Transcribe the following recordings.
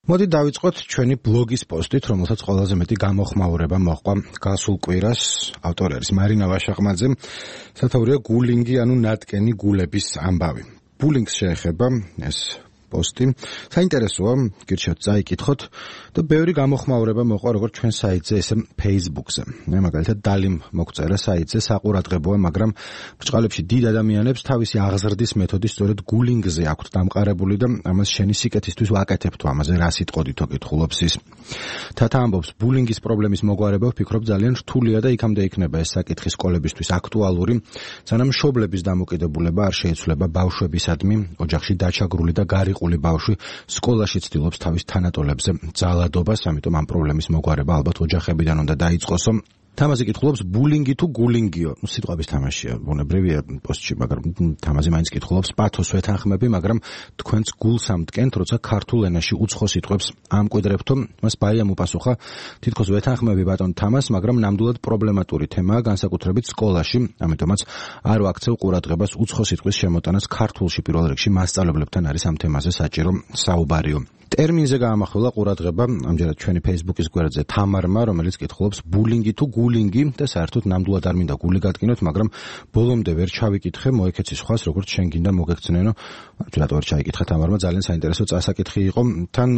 მოდი დავიწყოთ ჩვენი ბლოგის პოსტით, რომელსაც ყველაზე მეტი გამოხმაურება მოჰყვა გასულ კვირას. ავტორი არის მარინა ვაშაყმაძე. სათაურია გულინგი, ანუ ნატკენი გულების ამბავი. ბულინგს შეეხება ეს პოსტი. საინტერესოა, გირჩევთ წაიკითხოთ და ბევრი გამოხმაურება მოყვა როგორც ჩვენ საიტზე, ესე Facebook-ზე. მე მაგალითად დალიმ მოგწერა საიტზე, საყურადღებოა, მაგრამ ბრჭყალებში დიდ ადამიანებს თავისი აღზრდის მეთოდი სწორედ გულინგზე აქვთ დამყარებული და ამას შენი სიკეთისთვის ვაკეთებთ ამაზე რა სიტყოდითო კითხულობს ის. თათა ამბობს, ბულინგის პრობლემის მოგვარება ვფიქრობ ძალიან რთულია და იქამდე იქნება ეს საკითხი სკოლებისთვის აქტუალური, სანამ მშობლების დამოკიდებულება არ შეიცვლება ბავშვებისადმი, ოჯახში დაჩაგრული და გარიყული ბავშვი სკოლაში ცდილობს თავის თანატოლებზე ძალადობას, ამიტომ ამ პრობლემის მოგვარება ალბათ ოჯახებიდან უნდა დაიწყოსო. თამაზი კითხულობს, ბულინგი თუ გულინგიო? სიტყვების თამაშია, ბუნებრივია პოსტში, მაგრამ თამაზი მაინც კითხულობს, პათოს ვეთანხმები, მაგრამ თქვენც გულს ამტკენთ, როცა ქართულ ენაში უცხო სიტყვებს ამკვიდრებთო? მას ბაიამ უპასუხა, თითქოს ვეთანხმები ბატონ თამას, მაგრამ ნამდვილად პრობლემატური თემაა, განსაკუთრებით სკოლაში, ამიტომაც არ ვაქცევ ყურადღებას უცხო სიტყვის შემოტანას ქართულში, პირველ რიგში მასწავლებლებთან არის ამ თემაზე საჭირო საუბარიო. ტერმინზე გაამახვილა ყურადღება ამჯერად ჩვენი Facebook-ის გვერდზე თამარმა, რომელიც კითხულობს, ბულინგი თუ გულინგი და საერთოდ ნამდვილად არ მინდა გული გადგინოთ, მაგრამ ბოლომდე ვერ ჩავიკითხე, მოეკეცი სხვას, როგორც შენ გინდა მოგექცნენო. რატო ვერ ჩაიკითხა თამარმა, ძალიან საინტერესო წასაკითხი იყო. თან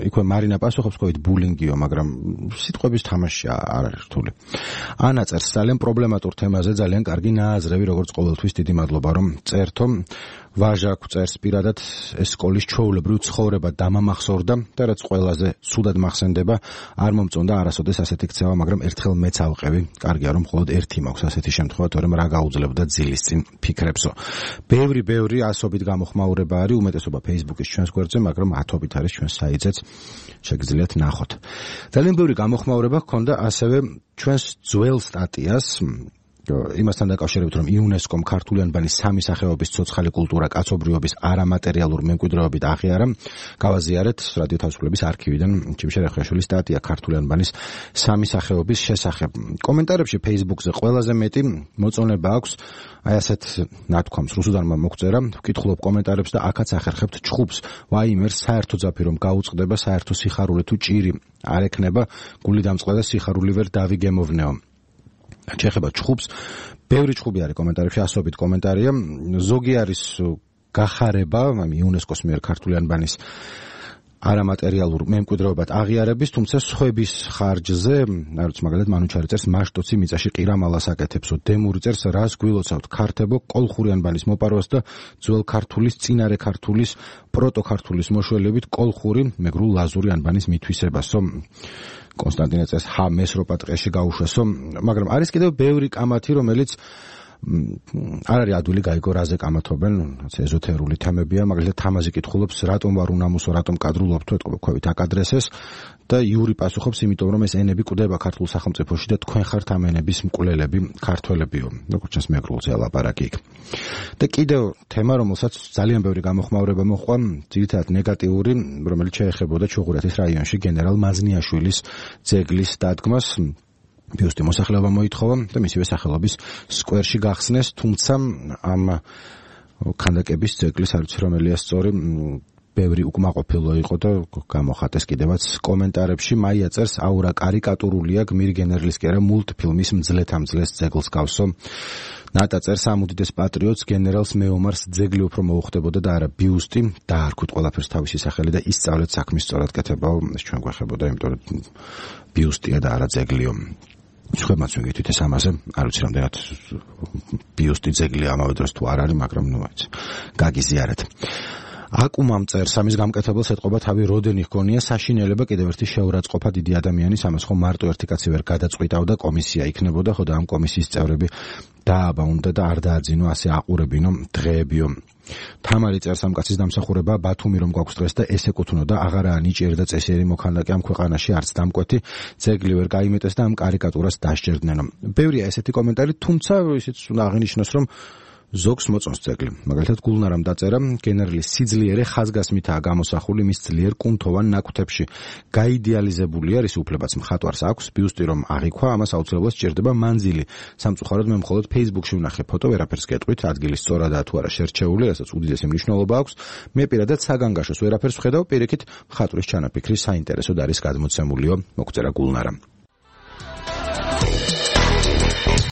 იქვე მარინა პასუხობს, ყავით ბულინგიო, მაგრამ სიტყვების თამაშია არ არის რთული. ანა წერს, ძალიან პრობლემატურ თემაზე, ძალიან კარგი ნააზრევი, როგორც ყოველთვის, დიდი მადლობა რომ წერთო. ვაჟა წერს, პირადად ეს სკოლის ჩვეულებრივ ცხოვრება დამამახსოვრდა და რაც ყველაზე ცუდად მახსენდება, არ მომწონდა არასოდეს ასეთი ქცევა, მაგრამ ერთხელ მეც ავყევი. კარგია რომ მხოლოდ ერთი მაქვს ასეთი შემთხვევა, თორემ რა გაუძლებდა ძილის წინ ფიქრებსო. ბევრი ასობით გამოხმაურება არის, უმეტესობა Facebook-ის ჩვენს გვერდზე, მაგრამ ათობით არის ჩვენს საიტზეც, შეგიძლიათ ნახოთ. ძალიან ბევრი გამოხმაურება ჰქონდა ასევე ჩვენს ძველ სტატიას, იმასთან დაკავშირებით, რომ იუნესკომ ქართული ანბანის სამი სახეობის ცოცხალი კულტურა კაცობრიობის არამატერიალურ მემკვიდრეობით აღიარა. გავაზიარეთ რადიო თავისუფლების არქივიდან ჩიმშე რეხაშვილის სტატია ქართული ანბანის სამი სახეობის შესახებ. კომენტარებში Facebook-ზე ყველაზე მეტი მოწონება აქვს აი ასეთ ნათქვამს რუსუდანმა მოგწერა, ვკითხულობ კომენტარებს და აქაც ახერხებთ ჩხუბს. ვაიმერ, საერთო ძაფი რომ გაუწყდება, საერთო სიხარული თუ ჭირი არ ექნება, გული დამწყდა და სიხარული ვერ დავიგემოვნეო. ჩეხება ჩხუბს, ბევრი ჩხუბი არის კომენტარებში, ასობით კომენტარია. ზოგი არის გახარება, იუნესკოს მიერ ქართული ანბანის არამატერიალურ მემკვიდრეობად აღიარების, თუმცა სხვების ხარჯზე, არც მაგალითად მანუჩარი წერს, მაშტოცი მიწაში ყირამალას აკეთებსო, დემური წერს, რას გვილოცავთ ქართებო, კოლხური ანბანის მოპარვას და ძველ ქართულის, წინარე ქართულის, პროტო ქართულის მოშველებით კოლხური, მეგრულ ლაზური ანბანის მითვისებასო. კონსტანტინე წერს, მესროპა ტყეში გაუშვესო, მაგრამ არის კიდევ ბევრი კამათი, რომელიც არ არის ადვილი გაიგო რაზე კამათობენ, ეზოთერული თემებია, მაგალითად თამაზი კითხულობს, რატომ ვარ უნამუსო, რატომ კადრულობთ, ეთყობქვევით აკადრესეს და იური პასუხობს, იმიტომ რომ ეს ენები კვდება ქართულ სახელმწიფოში და თქვენ ხართ ამ ენების მკვლელები, ქართველებიო, როგორც ჩანს მეგრულზე ლაპარაკი იქ. და კიდევ თემა, რომელსაც ძალიან ბევრი გამოხმაურება მოჰყვა, ძირითადად ნეგატიური, რომელიც შეეხებოდა ჩუღურეთის რაიონში გენერალ მაზნიაშვილის ძეგლის დადგმას. ბიუსტი მოსახლეობა მოითხოვა და მისივე სახელობის სკვერში გახსნეს, თუმცა ამ ქანდაკების ძეგლის არ ვიცი რომელია სწორი, ბევრი უკმაყოფილო იყო და გამოხატეს კიდევაც კომენტარებში. მაია წერს, აურა კარიკატურულია, გმირი გენერლის კი არა, მულტფილმის მძლეთ-ამძლეს ძეგლს გავსო. ნატა წერს, ამ უდიდეს პატრიოტს გენერალს მეომარს ძეგლი უფრო მოუხდებოდა და არა ბიუსტი, დაარქვით ყველაფერს თავისი სახელი და ისწავლეთ საქმის სწორად კეთებაო, ეს ჩვენ გვეხებოდა, იმიტომ რომ ბიუსტია და არა ძეგლიო. სხვებმაც ვიგეთით ეს ამაზე, არ ვიცი რამდენად ბიუსტი ძეგლია ამავე დროს თუ არ არის, მაგრამ ნუ აი გაგიზიარეთ. აკუმამ წერს, ამის გამკეთებელს ეთყობა თავი როდენი ჰგონია, საშინელება კიდევ ერთი შეურაცხყოფა დიდი ადამიანის, ამას ხომ მარტო ერთი კაცი ვერ გადაწყვიტავდა, კომისია იქნებოდა, ხო და ამ კომისიის წევრები დააბაუნდა და არ დააძინო, ასე აყურებინო დღეებიო. თამარი წერს, ამ კაცის დამსახურება ბათუმი რომ გვაქვს დღეს და ეს ეკუთვნოდა, აღარაა ნიჭიერი და წესიერი მოქანდაკე ამ ქვეყანაში, არც დამკვეთი, ძეგლი ვერ გაიმეტეს და ამ კარიკატურას დასჯერდნენ. ბევრია ესეთი კომენტარი, თუმცა ისიც უნდა აღინიშნოს, რომ ზოგს მოწონს ძეგლი. მაგალითად, გულნარამ დაწერა, გენერლის სიძლიერე ხაზგასმითაა გამოსახული მის ძლიერ კუნთოვან ნაკვთებში. გაიდეალიზებულია, რის უფლებაც მხატვარს აქვს, ბიუსტი რომ აღიქვა, ამას აუცილებლად სჭირდება მანძილი. სამწუხაროდ მე მხოლოდ Facebook-ში ვნახე ფოტო, ვერაფერს გეტყვით, ადგილი სწორადაა თუ არა შერჩეული, რასაც უდიდესი მნიშვნელობა აქვს. მე პირადად საგანგაშოს ვერაფერს ვხედავ, პირიქით მხატვრის ჩანაფიქრი საინტერესოდ არის გადმოცემულიო, მოგწერა გულნარამ.